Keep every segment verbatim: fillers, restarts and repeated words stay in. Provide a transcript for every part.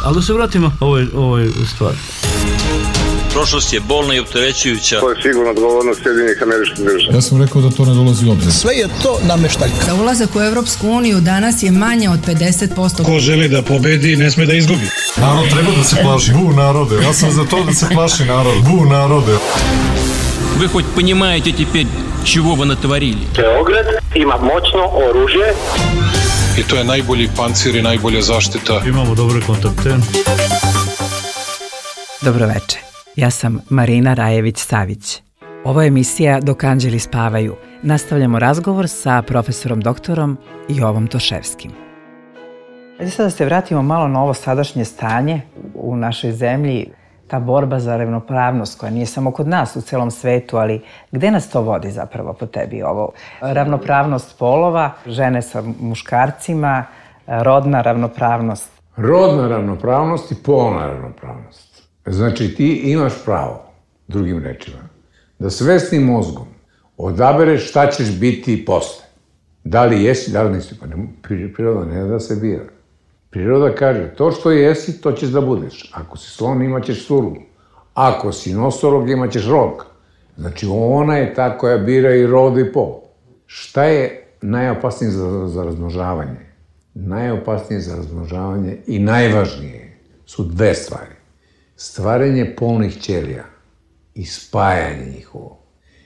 Ali da se vratimo ovoj, ovoj stvari. Prošlost je bolna i opterećujuća. To je sigurno odgovornost Sjedinjenih Američkih Država. Ja sam rekao da to ne dolazi u obzir. Sve je to nameštaljka. Za ulazak u Evropsku uniju danas je manje od pedeset posto. Ko želi da pobedi, ne sme da izgubi. Narod treba da se plaši. Bu narode. Ja sam za to da se plaši narod. Bu narode. Вы хоть понимаете теперь, чего вы натворили? Beograd ima moćno oružje. I to je najbolji pancir i najbolja zaštita. Imamo dobre kontakte. Dobroveče. Ja sam Marina Rajević-Savić. Ovo je emisija Dok anđeli spavaju. Nastavljamo razgovor sa profesorom doktorom Jovom Toševskim. Ajde sad da se vratimo malo na ovo sadašnje stanje u našoj zemlji. Ta borba za ravnopravnost koja nije samo kod nas u celom svetu, ali gde nas to vodi zapravo po tebi ovo? Ravnopravnost polova, žene sa muškarcima, rodna ravnopravnost. Rodna ravnopravnost i polna ravnopravnost. Znači ti imaš pravo, drugim rečima, da svesnim mozgom odabereš šta ćeš biti posle. Da li jesi, da li nisi. Pa ne, priroda ne da se bira. Priroda kaže, to što jesi, to ćeš da budeš. Ako si slon, imaćeš suru. Ako si nosorog, imaćeš rog. Znači, ona je ta koja bira i rod i pol. Šta je najopasnije za, za razmnožavanje? Najopasnije za razmnožavanje i najvažnije su dve stvari. Stvaranje polnih ćelija i spajanje njihovo.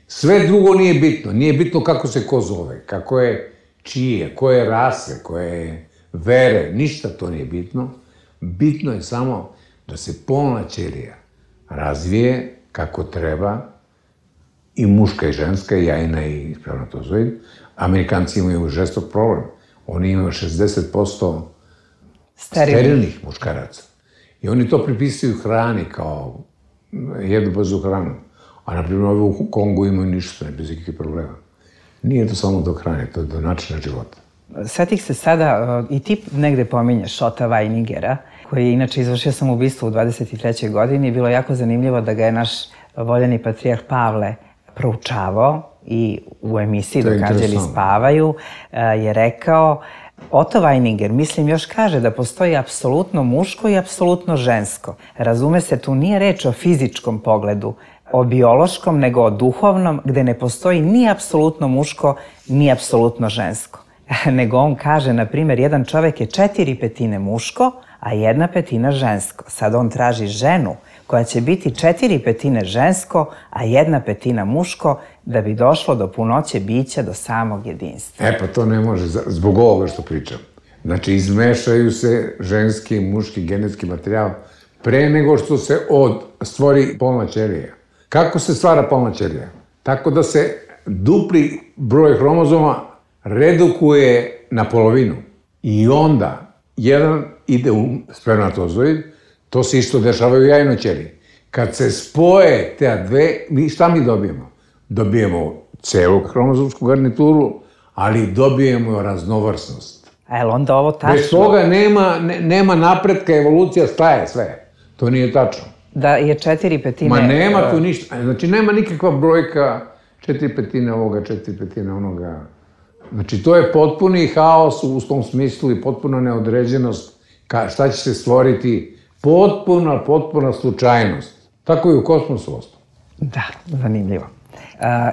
Sve drugo nije bitno. Nije bitno kako se ko zove, kako je čije, koje rase, koje vere, ništa to nije bitno. Bitno je samo da se polna ćelija razvije kako treba, i muška i ženska, i jajna i spermatozoid. Amerikanci imaju žestok problem. Oni imaju šezdeset posto sterilnih muškaraca. I oni to pripisuju hrani kao jedu brzu hranu. A naprimjer ovi u Kongu imaju ništa, ne bez ikakvih problema. Nije to samo do hrane, to je do načina života. Setih se sada, i ti negde pominješ Šota Vajnigera, koji je inače izvršio samoubistvo u dvadeset trećoj godini. Bilo je jako zanimljivo da ga je naš voljeni patrijarh Pavle proučavao i u emisiji Dok anđeli spavaju je rekao: Otto Vajninger, mislim, još kaže da postoji apsolutno muško i apsolutno žensko. Razume se, tu nije reč o fizičkom pogledu, o biološkom, nego o duhovnom, gde ne postoji ni apsolutno muško, ni apsolutno žensko. Nego on kaže, na primjer, jedan čovek je četiri petine muško, a jedna petina žensko. Sad on traži ženu koja će biti četiri petine žensko, a jedna petina muško, da bi došlo do punoće bića, do samog jedinstva. E pa to ne može, zbog ovoga što pričam. Znači, izmešaju se ženski i muški genetski materijal pre nego što se od stvori polna ćelija. Kako se stvara polna ćelija? Tako da se dupli broj hromozoma redukuje na polovinu. I onda jedan ide u spermatozoid, to se isto dešava u jajnoj ćeliji. Kad se spoje te dve, mi šta mi dobijemo? Dobijemo celu hromozomsku garnituru, ali dobijemo raznovrsnost. A je li onda ovo tačno? Bez toga nema, ne, nema napretka, evolucija staje sve. To nije tačno. Da je četiri petine... Ma nema tu ništa. Znači, nema nikakva brojka četiri petine ovoga, četiri petine onoga. Znači, to je potpuni haos u tom smislu i potpuna neodređenost. Ka, šta će se stvoriti? Potpuna, potpuna slučajnost. Tako i u kosmosu ostalo. Da, zanimljivo.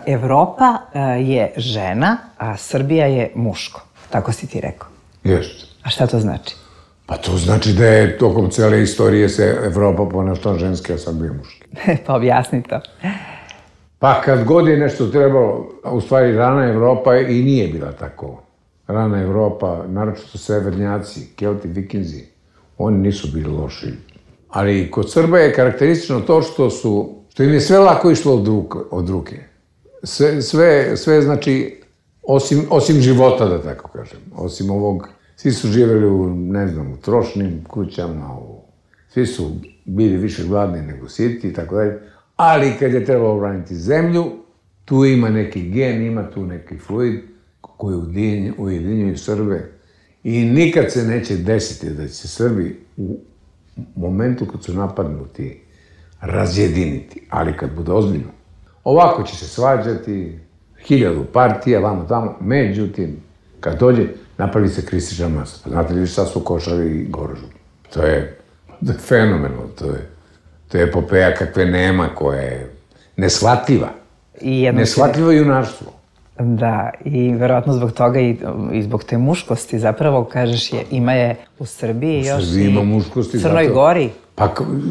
Evropa je žena, a Srbija je muško. Tako si ti rekao. Jeste. A šta to znači? Pa to znači da je tokom cele istorije se Evropa ponašala ženski, a Srbija muški. Pa objasni to. Pa kad god je nešto trebalo, u stvari rana Evropa i nije bila tako. Rana Evropa, naročito severnjaci, Kelti, Vikinzi, oni nisu bili loši. Ali kod Srba je karakteristično to što su, što im je sve lako išlo od ruke. Od ruke. Sve, sve, sve znači, osim, osim života, da tako kažem, osim ovog, svi su živjeli u, ne znam, u trošnim kućama, u, svi su bili više gladni nego siti i tako dalje. Ali kad je trebalo obraniti zemlju, tu ima neki gen, ima tu neki fluid koji ujedinjuju Srbe i nikad se neće desiti da će se Srbi u momentu kad su napadnuti razjediniti, ali kad bude ozbiljno. Ovako će se svađati, hiljadu partija, vamo tamo, međutim, kad dođe, napravi se kristična masa. Znate li šta su Košari i Gorožu? To je, to je fenomenalno, to je, to je epopeja kakve nema, koja je neshvatljiva. Neshvatljivo junaštvo. Da, i verovatno zbog toga i, i zbog te muškosti, zapravo, kažeš, je, ima je u Srbiji još i u Crnoj Gori, pa,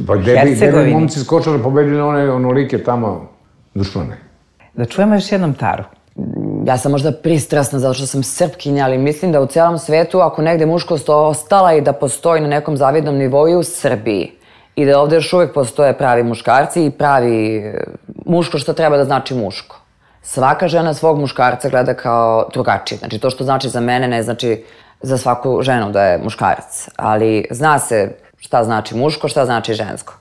pa gde bi momci s Kočara pobedili one onolike tamo dušmane. Da čujemo još jednom Taru. Ja sam možda pristrasna zato što sam Srpkinja, ali mislim da u cijelom svetu, ako negde muškost ostala i da postoji na nekom zavidnom nivou i u Srbiji, i da ovde još uvijek postoje pravi muškarci i pravi muško što treba da znači muško. Svaka žena svog muškarca gleda kao drugačije. Znači, to što znači za mene ne znači za svaku ženu da je muškarac. Ali zna se šta znači muško, šta znači žensko.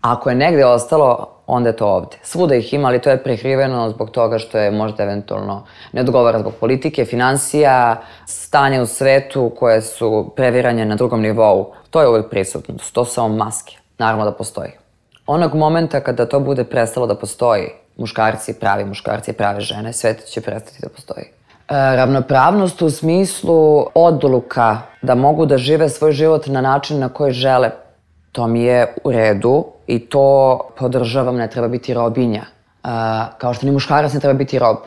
Ako je negde ostalo, onda je to ovde. Svuda ih ima, ali to je prekriveno zbog toga što je možda eventualno ne odgovara zbog politike, finansija, stanja u svetu koje su previranje na drugom nivou. To je uvijek prisutno. To su samo maske. Naravno da postoji. Onog momenta kada to bude prestalo da postoji, muškarci, pravi muškarci i prave žene, svet će prestati da postoji. E, ravnopravnost u smislu odluka da mogu da žive svoj život na način na koji žele, to mi je u redu i to podržavam, ne treba biti robinja. E, kao što ni muškarac ne treba biti rob.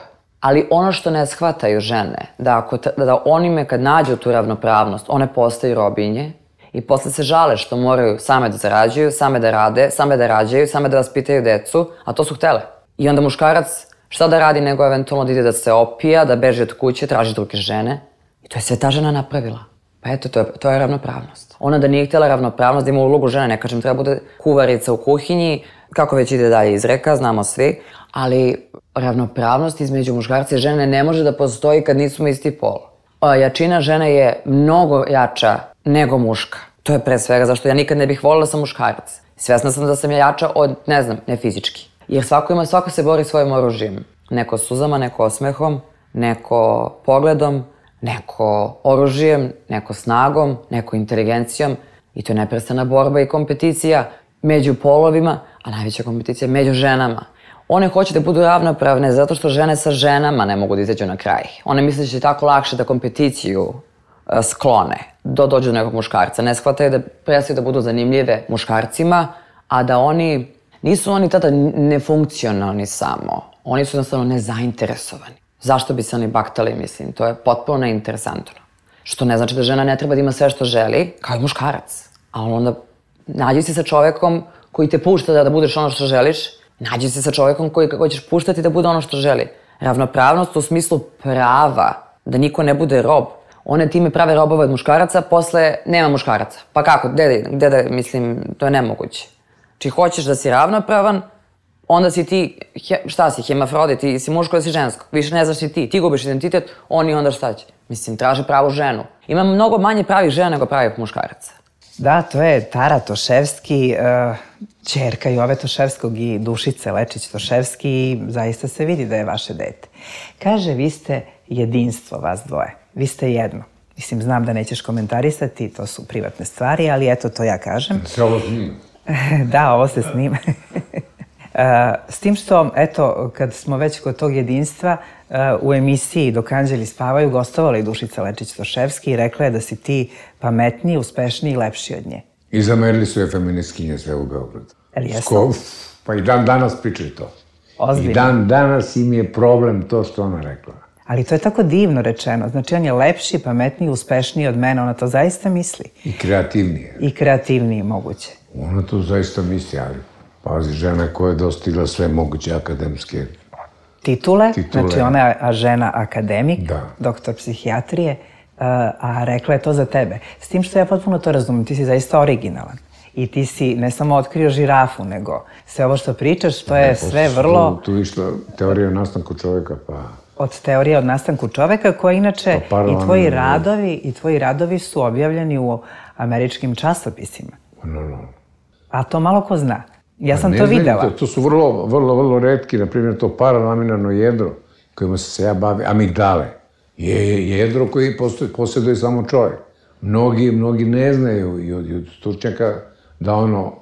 Ali ono što ne shvataju žene, da, ako, da onime kad nađu tu ravnopravnost, one postaju robinje i posle se žale što moraju same da zarađuju, same da rade, same da rađaju, same da vaspitaju decu, a to su htele. I onda muškarac šta da radi nego eventualno da ide da se opija, da beži od kuće, traži druge žene. I to je sve ta žena napravila. Pa eto, to je, to je ravnopravnost. Ona da nije htjela ravnopravnost, da ima ulogu žene, ne kažem, treba bude kuvarica u kuhinji, kako već ide dalje izreka, znamo svi, ali ravnopravnost između muškarca i žene ne može da postoji kad nismo isti pol. Jačina žene je mnogo jača nego muška. To je pre svega zašto ja nikad ne bih voljela sam muškarac. Svjesna sam da sam ja jača od, ne znam, ne fizički. Jer svako ima, svako se bori svojim oružjem. Neko suzama, neko osmehom, neko pogledom, neko oružjem, neko snagom, neko inteligencijom. I to je neprestana borba i kompeticija među polovima, a najveća kompeticija među ženama. One hoće da budu ravnopravne zato što žene sa ženama ne mogu da izađu na kraj. One misle da će tako lakše da kompeticiju sklone, do dođu do nekog muškarca. Ne shvataju da prestaju da budu zanimljive muškarcima, a da oni, nisu oni tada nefunkcionalni samo. Oni su jednostavno nezainteresovani. Zašto bi se oni baktali, mislim, to je potpuno neinteresantno. Što ne znači da žena ne treba da ima sve što želi, kao i muškarac. A onda nađi se sa čovekom koji te pušta da, da budeš ono što želiš, nađi se sa čovekom koji, koji ćeš puštati da bude ono što želi. Ravnopravnost u smislu prava, da niko ne bude rob. One time prave robove od muškaraca, posle nema muškaraca. Pa kako, gde, gde da, mislim, to je nemoguće. Či hoćeš da si ravnopravan, onda si ti, šta si, hemafrodit, ti si muško ili si žensko. Više ne znaš ni ti, ti gubiš identitet, oni onda šta će. Mislim, traže pravu ženu. Ima mnogo manje pravih žena nego pravih muškaraca. Da, to je Tara Toševski, uh, ćerka Jove Toševskog i Dušice Lečić-Toševski i zaista se vidi da je vaše dete. Kaže, vi ste jedinstvo, vas dvoje. Vi ste jedno. Mislim, znam da nećeš komentarisati, to su privatne stvari, ali eto, to ja kažem. Se ovo snima. Da, ovo se snima. S tim što, eto, kad smo već kod tog jedinstva, u emisiji Dok anđeli spavaju gostovala i Dušica Lečić-Toševski i rekla je da si ti pametniji, uspešniji i lepši od nje. I zamerili su je feministkinje sve u Beogradu. Ali jesno? Pa i dan danas pričaju to. Ozbiljno. I dan danas im je problem to što ona rekla. Ali to je tako divno rečeno. Znači, on je lepši, pametniji, uspešniji od mene. Ona to zaista misli. I kreativnije. I kreativniji, moguće. Ona to zaista misli, ali pazi, žena koja je dostigla sve moguće akademske titule. titule. Znači, ona je žena akademik, da. Doktor psihijatrije, a rekla je to za tebe. S tim što ja potpuno to razumem, ti si zaista originalan. I ti si ne samo otkrio žirafu, nego sve ovo što pričaš, to je ne, sve vrlo... Tu, tu išla teorija o nastanku čoveka, pa... Od teorije o nastanku čoveka, koja inače pa i tvoji radovi, i tvoji radovi su objavljeni u američkim časopisima. No, no. A to malo ko zna. Ja sam to videla. To, to su vrlo, vrlo, vrlo retki, na primjer, to paralaminarno jedro, kojima se ja bavim, amigdale, je jedro koji posjeduje samo čovjek. Mnogi, mnogi ne znaju i od, i od stručnjaka da ono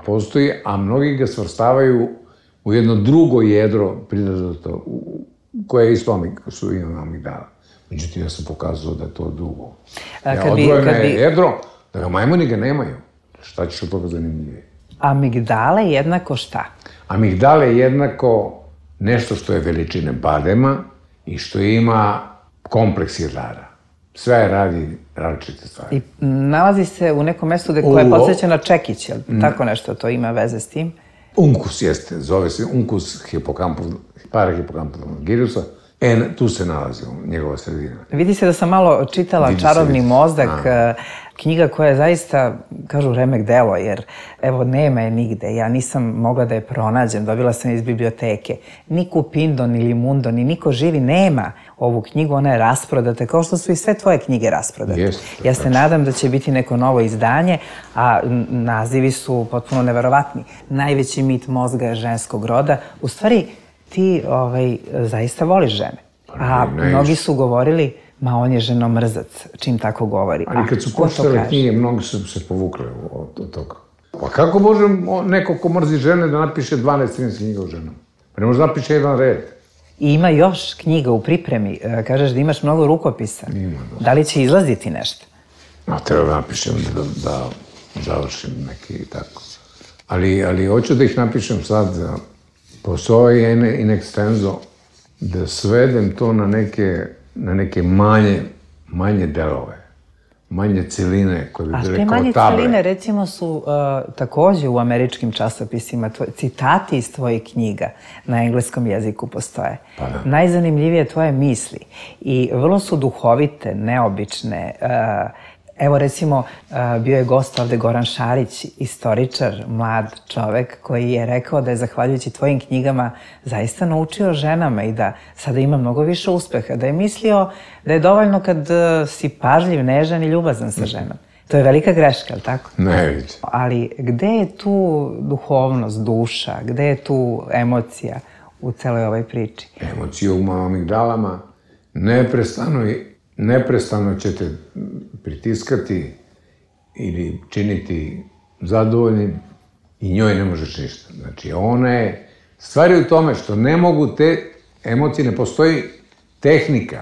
postoji, a mnogi ga svrstavaju u jedno drugo jedro pridato, koje je isto su ima amigdala. Međutim, ja sam pokazao da je to drugo. Ja, odvojeno je jedro, da ga majmuni ga nemaju. Šta ćeš od toga zanimljivije? Amigdale jednako šta? Amigdale je jednako nešto što je veličine badema i što ima kompleks jedara. Sve radi različite stvari. I nalazi se u nekom mestu gde koje je podsjeća na čekić, jel tako nešto to ima veze s tim? Uncus jeste, zove se uncus parahipokampalnog girusa. E, tu se nalazi njegova sredina. Vidi se da sam malo čitala Čarobni mozak, knjiga koja je zaista, kažu, remek delo, jer evo, nema je nigde. Ja nisam mogla da je pronađem, dobila sam iz biblioteke. Ni Kupindo, ni Limundo, ni niko živi nema ovu knjigu, ona je rasprodata, kao što su i sve tvoje knjige rasprodate. Ja se nadam da će biti neko novo izdanje, a nazivi su potpuno neverovatni. Najveći mit mozga je ženskog roda. U stvari, ti zaista voliš žene. A mnogi su govorili, ma on je ženomrzac, čim tako govori. Ali kad su počitale knjige, mnogi su se povukli od toga. Pa kako može neko ko mrzi žene da napiše dvanaest trinaest knjiga o ženama? Pa ne može da napiše jedan red. I ima još knjiga u pripremi. Kažeš da imaš mnogo rukopisa. Ima. Da li će izlaziti nešto? A treba da napišem da završim neki tako. Ali hoću da ih napišem sad. Postoji in extenso da svedem to na neke manje delove, manje celine koje bi bile kao table. A te manje celine, recimo, su takođe u američkim časopisima, citati iz tvojih knjiga na engleskom jeziku postoje. Najzanimljivije tvoje misli i vrlo su duhovite, neobične. Evo, recimo, bio je gost ovde Goran Šarić, istoričar, mlad čovek, koji je rekao da je, zahvaljujući tvojim knjigama, zaista naučio ženama i da sada ima mnogo više uspeha, da je mislio da je dovoljno kad si pažljiv, nežan i ljubazan sa ženom. To je velika greška, ali tako? Ne vidim. Ali gde je tu duhovnost, duša, gde je tu emocija u celoj ovoj priči? Emocija u amigdalama neprestano i neprestano će te pritiskati ili činiti zadovoljnim i njoj ne možeš ništa. Znači, ona je... Stvar je u tome što ne mogu te emocije, ne postoji tehnika,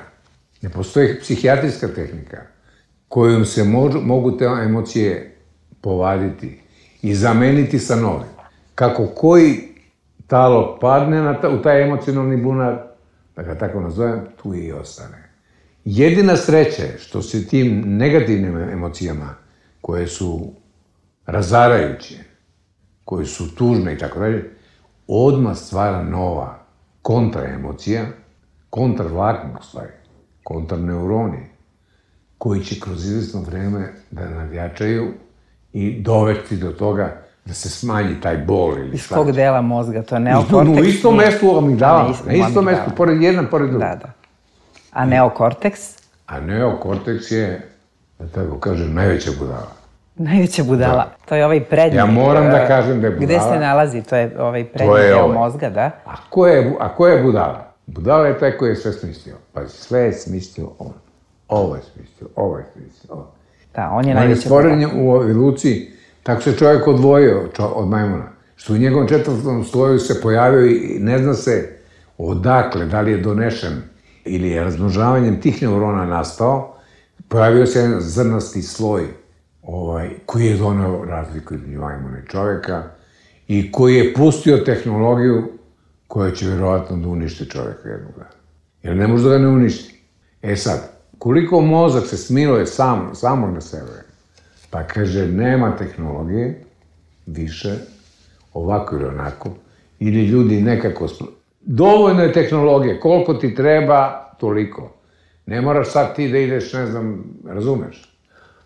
ne postoji psihijatrijska tehnika kojom se mogu te emocije povaditi i zameniti sa novim. Kako koji talog padne u taj emocionalni bunar, da ga tako nazovem, tu i ostane. Jedina sreća je što se tim negativnim emocijama, koje su razarajuće, koje su tužne i tako dalje, odmah stvara nova kontraemocija, kontravlakna u stvari, kontraneuroni, koji će kroz izvesno vreme da nadjačaju i dovesti do toga da se smanji taj bol ili iz kog dela mozga, to je neokorteks? U istom mestu u amigdalama, na istom mestu, pored jedan, pored drugi. Da, da. A neokorteks? A neokorteks je, da tako kažem, najveća budala. Najveća budala. To je ovaj prednji. Ja moram da kažem da je budala. Gde se nalazi? To je ovaj prednji deo mozga, da? A ko je budala? Budala je taj koji je sve smislio. Pa sve je smislio on. Ovo je smislio, ovo je smislio, ovo. Da, on je najveća budala. On je stvoren u ovoj Luci, tako se čovjek odvojio od majmuna. Što u njegovom četvrtom sloju se pojavio i ne zna se odakle, da li je donešen ili je razmnožavanjem tih neurona nastao, pojavio se jedan zrnasti sloj koji je doneo razliku između majmuna i čoveka i koji je pustio tehnologiju koja će vjerovatno da uništi čoveka jednog dana. Jer ne može da ga ne uništi. E sad, koliko mozak se smiluje samog na sebe, pa kaže nema tehnologije više, ovako ili onako, ili ljudi nekako... Dovoljno je tehnologije, koliko ti treba, toliko. Ne moraš sad ti da ideš, ne znam, razumeš.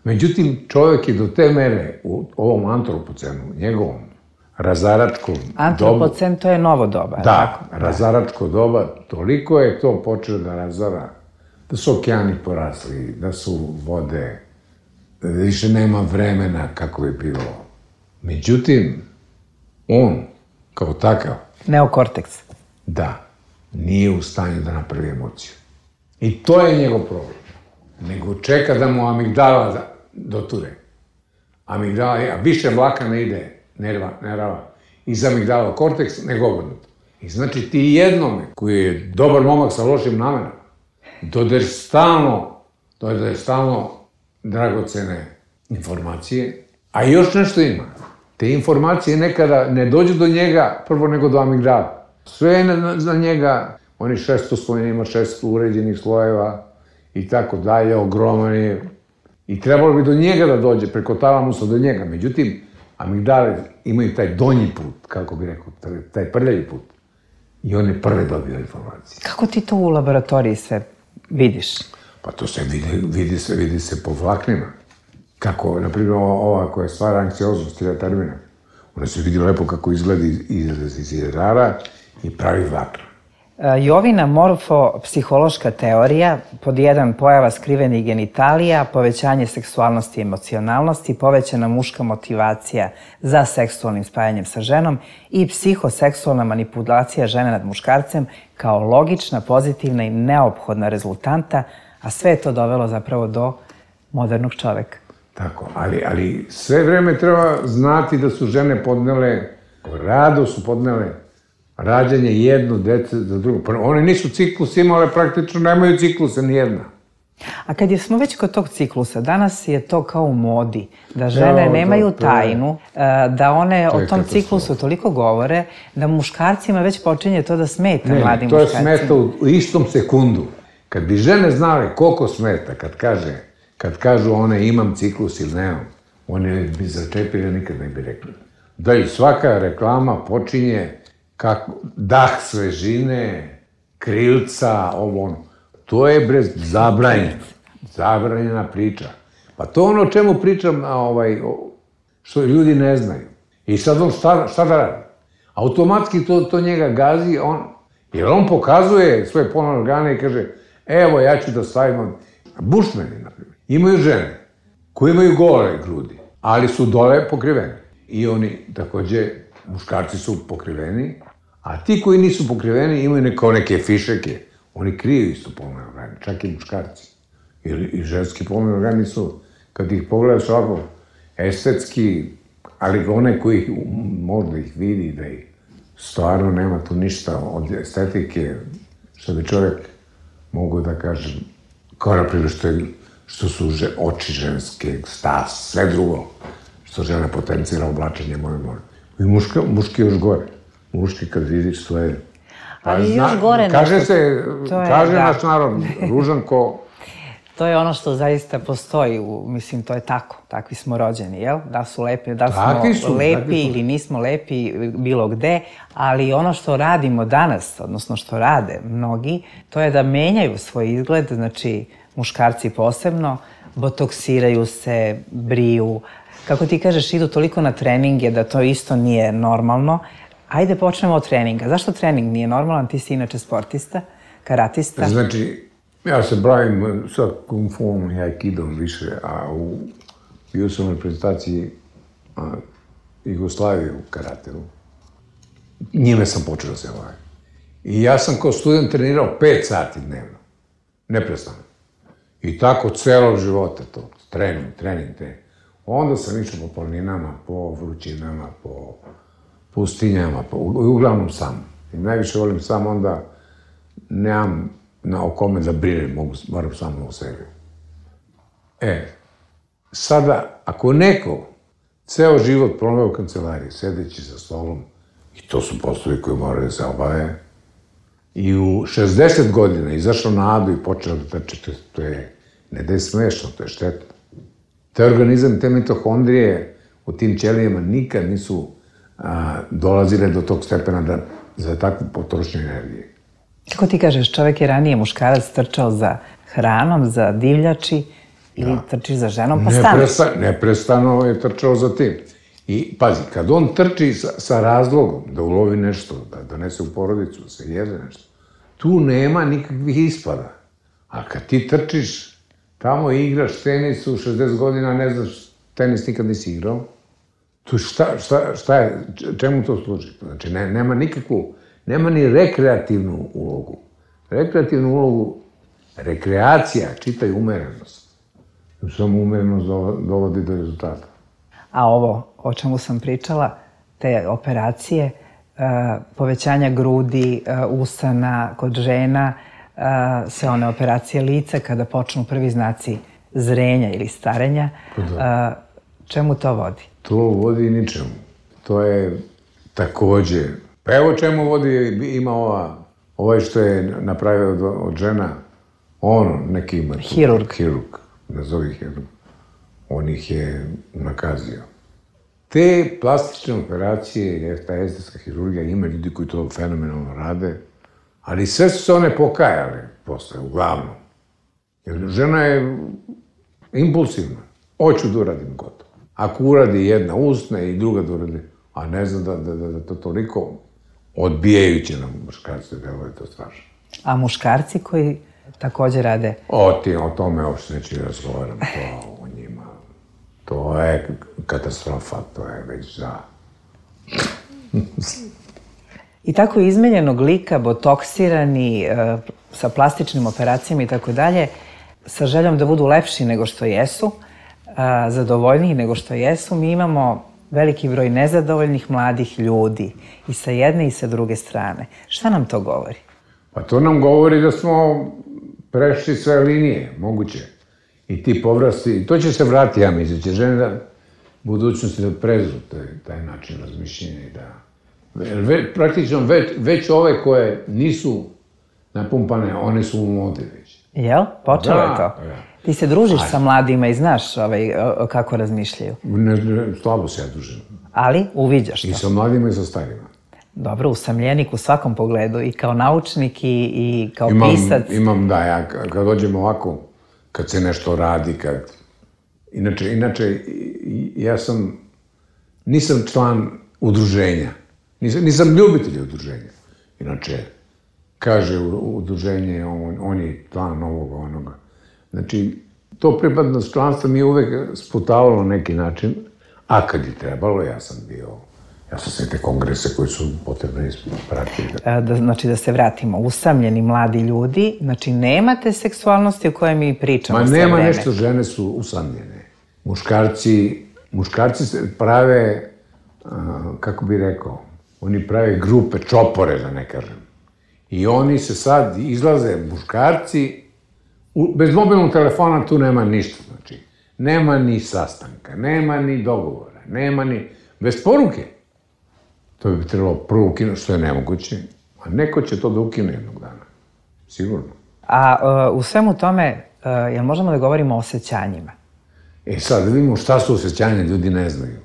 Međutim, čovjek je do te mere u ovom antropocenu, njegovom razaračkom dobu... Antropocen, to je novo doba, da, tako? Da, razaračko doba, toliko je to počeo da razara, da su okeani porasli, da su vode, da više nema vremena kako bi bilo. Međutim, on, kao takav... Neokorteks. Da, nije u stanju da napravi emociju. I to je njegov problem. Nego čeka da mu amigdala doture. Amigdala, a više vlaka ne ide, nerava, iz amigdala korteks, nego obrnuto. I znači ti jednome, koji je dobar momak sa lošim namenama, dodaješ stalno, dodaješ stalno dragocene informacije, A još nešto ima. Te informacije nekada ne dođu do njega prvo nego do amigdala. Sve je za njega, on je šestoslojni, ima šest uređenih slojeva i tako dalje, ogroman je. I trebalo bi do njega da dođe, preko talamusa do njega. Međutim, amigdale imaju taj donji put, kako bi rekao, taj prljavi put. I on je prvi dobio informacije. Kako ti to u laboratoriji sve vidiš? Pa to se vidi, vidi se, vidi se po vlaknima. Kako, na primjer, ova koja stvara anksioznost, tirotermina. Ona se vidi lepo kako izgleda iz, iz jedara i pravi vlakna. Jovina morfopsihološka teorija, pod jedan pojava skrivenih genitalija, povećanje seksualnosti i emocionalnosti, povećana muška motivacija za seksualnim spajanjem sa ženom i psihoseksualna manipulacija žene nad muškarcem kao logična, pozitivna i neophodna rezultanta, a sve je to dovelo zapravo do modernog čoveka. Tako, ali, ali sve vreme treba znati da su žene podnele, rado su podnele rađanje jedno dece za drugo. One nisu ciklus imale, praktično nemaju ciklusa nijedna. A kad smo već kod tog ciklusa, danas je to kao u modi, da žene nemaju tajnu, da one o tom ciklusu toliko govore, da muškarcima već počinje to da smeta mladim muškarcima. Ne, to je smeta u istom sekundu. Kad bi žene znale koliko smeta, kad kaže, kad kažu one imam ciklus ili nemam, one bi začepili, nikad ne bi rekli. Da i svaka reklama počinje kako, dah svežine, krilca, ovo ono. To je brez zabranjeno. Zabranjena priča. Pa to ono o čemu pričam, ovaj, što ljudi ne znaju. I sad on šta, šta da radi? Automatski to, to njega gazi, on, jer on pokazuje svoje polne organe i kaže, evo ja ću da stavim, bušmeni, na primjer, imaju žene koji imaju gole grudi, ali su dole pokriveni. I oni, takođe, muškarci su pokriveni, a ti koji nisu pokriveni imaju neko, neke fišeke. Oni kriju isto polne organe, čak i muškarci. I, i ženski polni organi su, kad ih pogledaš ovako, estetski, ali one koji možda ih vidi, da ih stvarno nema tu ništa od estetike, što bi čovjek mogu da kaže, kao na primjer što, je, što su že, oči ženske, stas, sve drugo, što žena potencira oblačenje moje more. I muška, muški još gore. Muški kad vidiš svoje... Ali još gore nešto. Kaže se, kaže naš narod, ružan ko... To je ono što zaista postoji, mislim, to je tako, takvi smo rođeni, jel? Da su lepi, da smo lepi ili nismo lepi bilo gde, ali ono što radimo danas, odnosno što rade mnogi, to je da menjaju svoj izgled, znači muškarci posebno, botoksiraju se, briju, kako ti kažeš, idu toliko na treninge da to isto nije normalno. Ajde počnemo od treninga. Zašto trening nije normalan? Ti si inače sportista, karatista. Znači, ja se bavim sa kung fuom i aikidom više, a u, bio sam u reprezentaciji Jugoslavije u karateu. Njime sam počeo da se bavim. I ja sam kao student trenirao pet sati dnevno. Neprestano. I tako celog života to. Trening, trening, trening. Onda sam išao po planinama, po vrućinama, po pustinjama, po, uglavnom sam. I najviše volim sam, onda nemam na o kome da brinem, mogu, moram samo o sebi. E, sada, ako neko ceo život proveo u kancelariji, sedeći za stolom, i to su poslovi koji moraju da se obave, i u šezdeset godina izašao na adu i počeo da trči, to, to je, ne da je smešno, to je štetno. Te organizam, te mitohondrije u tim ćelijama nikad nisu a, dolazile do tog stepena da, za takvu potrošnju energije. Kako ti kažeš, čovek je ranije muškarac trčao za hranom, za divljači ili da. Trči za ženom, pa staneš. Nepresta, neprestano je trčao za tim. I pazi, kad on trči sa, sa razlogom da ulovi nešto, da donese u porodicu, da se jede nešto, tu nema nikakvih ispada. A kad ti trčiš, tamo igraš tenis u šezdeset godina, ne znaš, tenis nikad nisi igrao, tu šta, šta, šta je, čemu to služi? Znači, ne, nema nikakvu, nema ni rekreativnu ulogu. Rekreativnu ulogu, rekreacija, čitaj umerenost. Samo umerenost dovodi do rezultata. A ovo, o čemu sam pričala, te operacije, povećanja grudi, usana kod žena, sve one operacije lica, kada počnu prvi znaci zrenja ili starenja, Čemu to vodi? To vodi ničemu. To je takođe... Pa evo čemu vodi, ima ova, ovaj što je napravio od, od žena, ono, neki ima... Hirurg. Hirurg, nazovi hirurg. On ih je nakazio. Te plastične operacije, ta estetska hirurgija, ima ljudi koji to fenomenalno rade, ali sve su se one pokajale posle, uglavnom. Jer žena je impulsivna. Hoću da uradim gotovo. Ako uradi jedna usne i druga da uradi, a ne znam da, da, da, da to toliko odbijajuće nam muškarci delo je to strašno. A muškarci koji takođe rade? O, ti, o tome uopšte neću razgovaram, to o njima. To je katastrofa, to je već za... I tako izmenjenog lika, botoksirani, sa plastičnim operacijama i tako dalje, sa željom da budu lepši nego što jesu, zadovoljniji nego što jesu, mi imamo veliki broj nezadovoljnih mladih ljudi i sa jedne i sa druge strane. Šta nam to govori? Pa to nam govori da smo prešli sve linije, moguće. I ti povrasti, i to će se vratiti, ja mislim, će žene da u budućnosti da prezu taj, taj način razmišljenja i da... Ve, praktično već, već ove koje nisu napumpane, one su u modi već. Jel? Počelo da, je to? Da. Ti se družiš Aj. sa mladima i znaš ovaj, kako razmišljaju? Ne, ne, slabo se ja družim. Ali uviđaš to? I sa mladima i sa starima. Dobro, usamljenik u svakom pogledu, i kao naučnik i, i kao imam, pisac. Imam, da, ja kad dođem ovako, kad se nešto radi, kad... Inače, inače, ja sam, nisam član udruženja. Nisam, nisam ljubitelj udruženja. Inače, kaže udruženje, on, on je član ovoga, onoga. Znači, to pripadnost članstva mi je uvek sputavalo na neki način, a kad je trebalo, ja sam bio, ja sam sve te kongrese koji su potrebne ispratiti. Da, znači, da se vratimo, usamljeni mladi ljudi, znači, nemate seksualnosti o kojoj mi pričamo sve vreme. Ma nema nešto, žene su usamljene. Muškarci, muškarci se prave, kako bi rekao, oni prave grupe, čopore, da ne kažem. I oni se sad izlaze, muškarci, u, bez mobilnog telefona tu nema ništa, znači. Nema ni sastanka, nema ni dogovora, nema ni... Bez poruke. To bi trebalo prvo ukinuti, što je nemoguće. A neko će to da ukine jednog dana. Sigurno. A uh, u svemu tome, uh, jel možemo da govorimo o osjećanjima? E sad, da vidimo šta su osjećanja, ljudi ne znaju.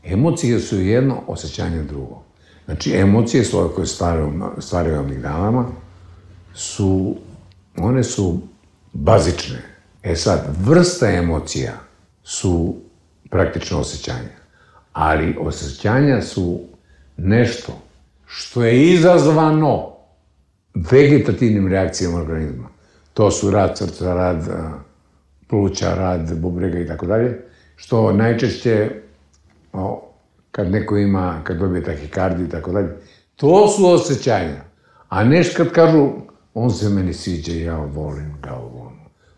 Emocije su jedno, osjećanje drugo. Znači, emocije su ove koje stvaraju amigdalama, su, one su bazične. E sad, vrsta emocija su praktično osjećanja. Ali osjećanja su nešto što je izazvano vegetativnim reakcijama organizma. To su rad srca, rad pluća, rad bubrega i tako dalje, što najčešće, o, kad neko ima, kad dobije tahikardiju i tako dalje, to su osjećanja. A neš kad kažu, on se meni sviđa i ja volim ga ovo.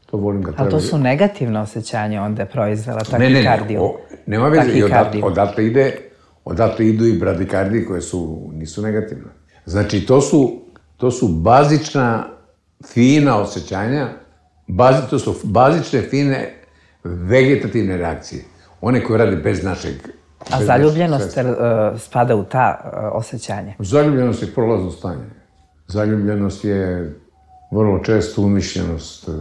To volim ga treba... Ali to su negativne osjećanja onda je proizvela tahikardiju. Ne, ne, ne, nema veze, i odatle, odatle ide, odatle idu i bradikardije koje su, nisu negativne. Znači, to su, to su bazična, fina osjećanja, bazi, to su bazične, fine, vegetativne reakcije. One koje rade bez našeg... A bez zaljubljenost uh, spada u ta uh, osjećanja? Zaljubljenost je prolazno stanje. Zaljubljenost je vrlo često umišljenost, uh,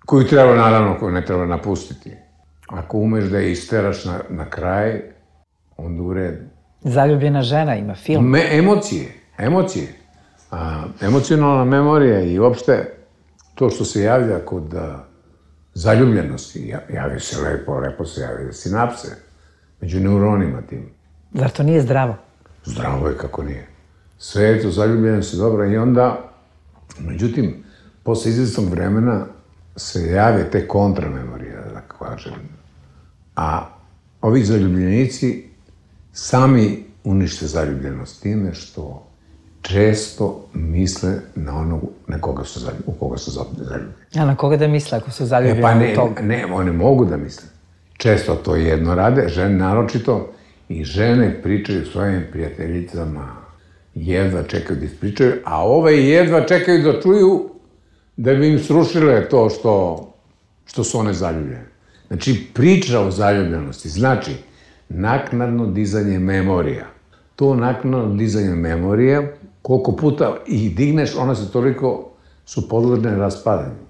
koju treba, naravno, koju ne treba napustiti. Ako umeš da je isteraš na, na kraj, onda u redu. Zaljubljena žena ima film. Me, emocije, emocije. A, emocionalna memorija i uopšte to što se javlja kod a, zaljubljenosti, javi se lepo, lepo se javlja sinapse među neuronima tim. Zar to nije zdravo? Zdravo je kako nije. Sve je to zaljubljenost je dobra i onda, međutim, posle izvestnog vremena se jave te kontramemorije, da kažem. A ovi zaljubljenici sami unište zaljubljenost time što često misle na onog na koga su zaljubljeni, u koga su zaljubljeni. A na koga da misle ako su zaljubljeni e, pa ne, u toga? Ne, oni mogu da misle. Često to jedno rade, žene naročito, i žene pričaju svojim prijateljicama, jedva čekaju da ispričaju, a ove jedva čekaju da čuju da bi im srušile to što, što su one zaljubljene. Znači, priča o zaljubljenosti znači naknadno dizanje memorija. To naknadno dizanje memorije, koliko puta ih digneš, ona se toliko su podložne raspadanju.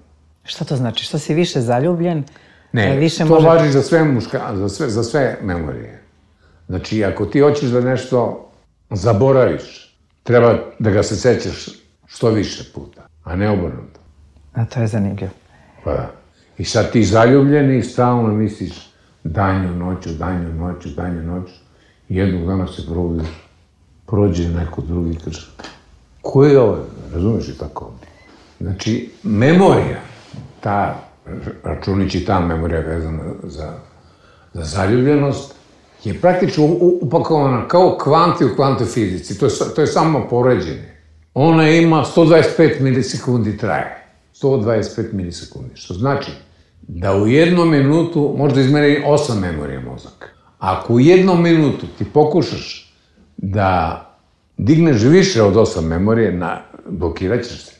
Šta to znači? Što si više zaljubljen? Ne, više to može... važi za sve, muška, za, sve, za sve memorije. Znači, ako ti hoćeš da nešto zaboraviš, treba da ga se sećaš što više puta, a ne obrnuto. A to je zanimljivo. Pa da. I sad ti zaljubljeni i stalno misliš danju noću, danju noću, danju noću. I jednog dana se probudiš, prođe neko drugi i kaže, ko je ovo? Razumeš i tako? Znači, memorija, ta računići ta memorija vezana za, za zaljubljenost, je praktično upakovana kao kvanti u kvantoj fizici. To je, to je samo poređenje. Ona ima sto dvadeset pet milisekundi traje. sto dvadeset pet milisekundi, što znači da u jednom minutu možda izmeri osam memorija mozak. Ako u jednom minutu ti pokušaš da digneš više od osam memorije, na, blokirat ćeš se.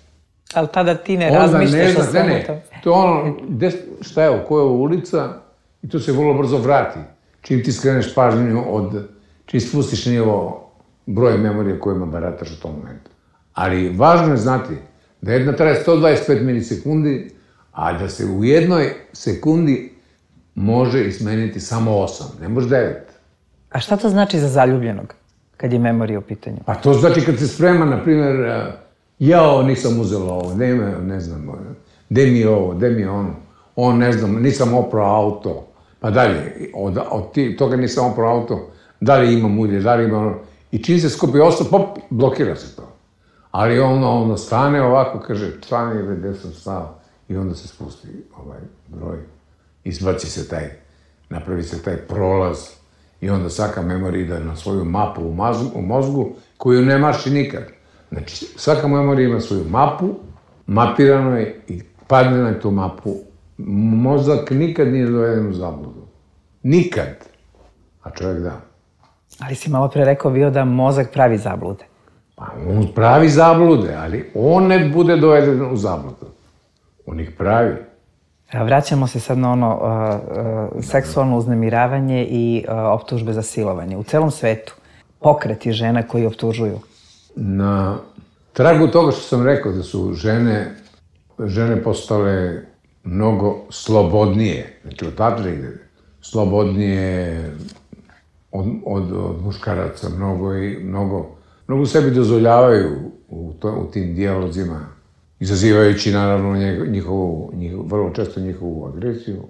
Ali tada ti ne razmišljaš o svemu ne, ne. To je ono, gde, šta je ovo, koja je ovo ulica, i to se vrlo brzo vrati. Čim ti skreneš pažnju od, čim spustiš nivo broj memorije kojima barataš u tom momentu. Ali važno je znati da jedna traje sto dvadeset pet milisekundi, a da se u jednoj sekundi može izmeniti samo osam, ne može devet. A šta to znači za zaljubljenog, kad je memorija u pitanju? Pa to znači kad se sprema, na primjer, jao, nisam uzela ovo, ne, ne znam, gde mi je ovo, gde mi je ono, on, ne znam, nisam oprao auto, pa dalje, od, od ti, toga nisam oprao auto, da li imam ulje, da li imam ono, i čim se skupi osam, pop, blokira se to. Ali ono, ono stane ovako, kaže, stane gde sam stao, i onda se spusti ovaj broj, izbaci se taj, napravi se taj prolaz, i onda svaka memorija ide na svoju mapu u, mazgu, u mozgu, koju ne maši nikad. Znači, svaka memorija ima svoju mapu, mapirano je i padne na tu mapu. Mozak nikad nije doveden u zabludu. Nikad. A čovjek da. Ali si malo pre rekao bio da mozak pravi zablude. Pa on pravi zablude, ali on ne bude doveden u zabludu. On ih pravi. Vraćamo se sad na ono uh, uh, seksualno uznemiravanje i uh, optužbe za silovanje. U celom svetu pokreti žena koji optužuju. Na tragu toga što sam rekao da su žene, žene postale mnogo slobodnije, znači odatle ide, slobodnije od, od, od muškaraca, mnogo i mnogo, mnogo sebi dozvoljavaju u, to, u tim dijalozima, izazivajući naravno njihovu, njihovu, vrlo često njihovu agresiju.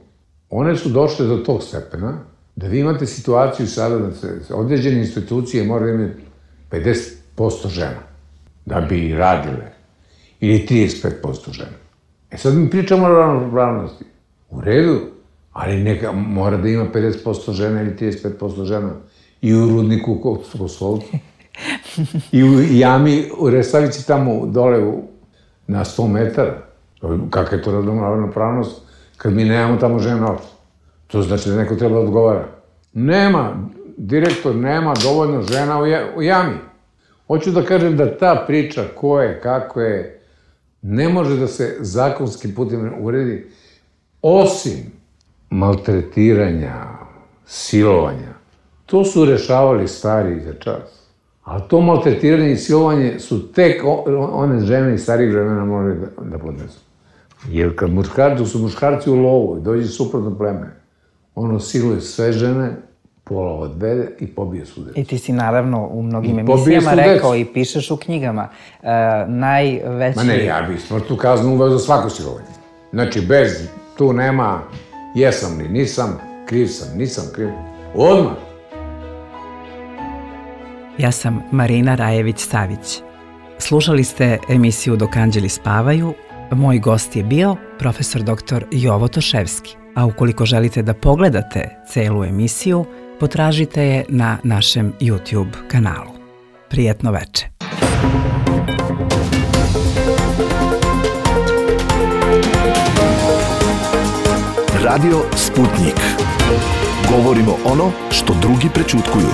One su došle do tog stepena da vi imate situaciju sada da se određene institucije moraju imati pedeset posto žena da bi radile, ili trideset pet posto žena. E sad mi pričamo o ravnopravnosti. U redu, ali neka mora da ima pedeset posto žena ili trideset pet posto žena i u rudniku kod Kosovcu, i u jami u Resavici tamo dole u, na sto metara. Kakva je to ravnopravnost kad mi nemamo tamo žena uopšte? To znači da neko treba da odgovara. Nema, direktor nema dovoljno žena u, ja, u jami. Hoću da kažem da ta priča ko je, kako je, ne može da se zakonskim putem uredi, osim maltretiranja, silovanja. To su rešavali stari za čas. Ali to maltretiranje i silovanje su tek one žene iz starih vremena morali da, da podnesu. Jer kad muškarci, su muškarci u lovu i dođe suprotno pleme, ono siluje sve žene, pola odvede i pobije svu decu. I ti si naravno u mnogim emisijama rekao i pišeš u knjigama. Uh, najveći... Ma ne, ja bih smrtnu kaznu uveo za svako silovanje. Znači, bez, tu nema jesam li nisam, kriv sam, nisam kriv. Odmah. Ja sam Marina Rajević-Savić. Slušali ste emisiju Dok anđeli spavaju. Moj gost je bio profesor doktor Jovo Toševski. A ukoliko želite da pogledate celu emisiju, potražite je na našem YouTube kanalu. Prijetno veče. Radio Sputnik. Govorimo ono što drugi prećutkuju.